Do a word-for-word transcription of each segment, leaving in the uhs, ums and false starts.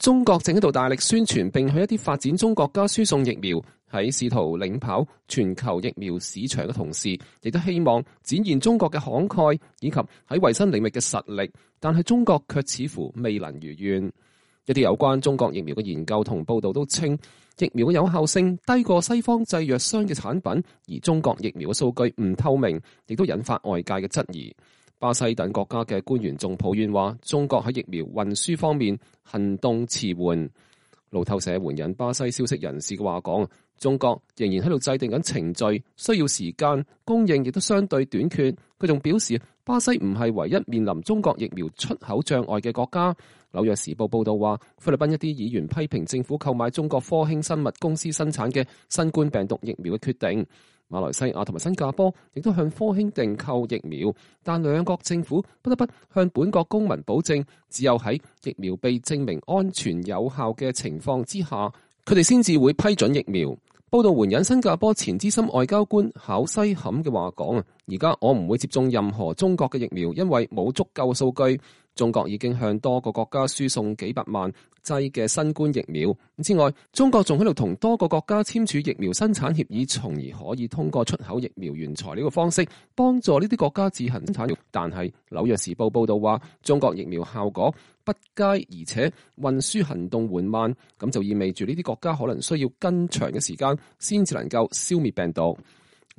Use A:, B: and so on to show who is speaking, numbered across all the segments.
A: 中國正喺度大力宣傳並向一啲發展中國家輸送疫苗，喺試圖領跑全球疫苗市場嘅同時，亦都希望展現中國嘅慷慨以及喺衛生領域嘅實力，但係中國卻似乎未能如願。一啲有關中國疫苗嘅研究同報道都稱，疫苗嘅有效性低過西方製藥商嘅產品，而中國疫苗嘅數據唔透明，亦都引發外界嘅質疑。巴西等國家嘅官員仲抱怨話，中國喺疫苗運輸方面行動遲緩。路透社援引巴西消息人士嘅話講，中國仍然喺度制定緊程序，需要時間，供應亦都相對短缺。佢仲表示，巴西唔係唯一面臨中國疫苗出口障礙嘅國家。紐約時報報道話，菲律賓一啲議員批評政府購買中國科興生物公司生產嘅新冠病毒疫苗嘅決定。馬來西亞同埋新加坡亦都向科興訂購疫苗，但兩國政府不得不向本國公民保證，只有喺疫苗被證明安全有效嘅情況之下，佢哋先至會批准疫苗。報道援引新加坡前資深外交官考西坎嘅話講啊，而家我唔會接種任何中國嘅疫苗，因為冇足夠數據。中國已經向多個國家輸送幾百萬劑嘅新冠疫苗。之外，中國仲喺度同多個國家簽署疫苗生產協議，從而可以通過出口疫苗原材料嘅方式幫助呢啲國家自行生產。但係紐約時報報道話，中國疫苗效果不佳，而且運輸行動緩慢，咁就意味住呢啲國家可能需要更長嘅時間先至能夠消滅病毒。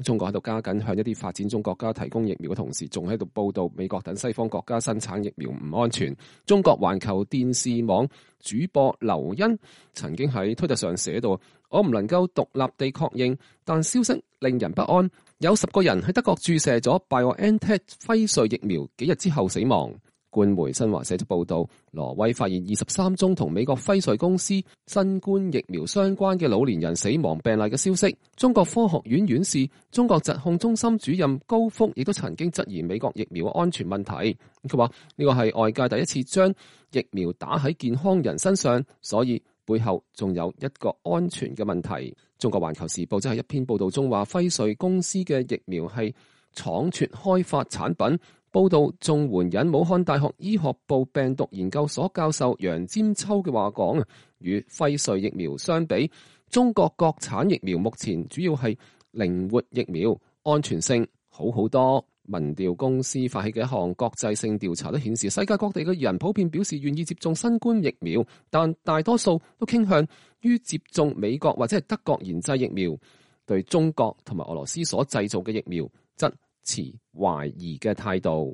A: 中國喺度加緊向一啲發展中國家提供疫苗嘅同時，仲喺度報道美國等西方國家生產疫苗唔安全。中國環球電視網主播劉欣曾經喺推特上寫到，我唔能夠獨立地確認，但消息令人不安。有十個人喺德國注射咗 BioNTech 輝瑞疫苗，幾日之後死亡。官媒新華社就報道，挪威發現二十三宗同美國輝瑞公司新冠疫苗相關嘅老年人死亡病例嘅消息。中國科學院院士、中國疾控中心主任高福亦都曾經質疑美國疫苗嘅安全問題。佢話呢個係外界第一次將疫苗打喺健康人身上，所以背後仲有一個安全嘅問題。中國環球時報即係一篇報道中話，輝瑞公司嘅疫苗係倉促開發產品。報道仲援引武漢大學醫學部病毒研究所教授楊占秋嘅話講啊，與輝瑞疫苗相比，中國國產疫苗目前主要係靈活疫苗，安全性好好多。民調公司發起嘅一項國際性調查都顯示，世界各地嘅人普遍表示願意接種新冠疫苗，但大多數都傾向於接種美國或者係德國研製疫苗，對中國同埋俄羅斯所製造嘅疫苗則持懷疑嘅態度。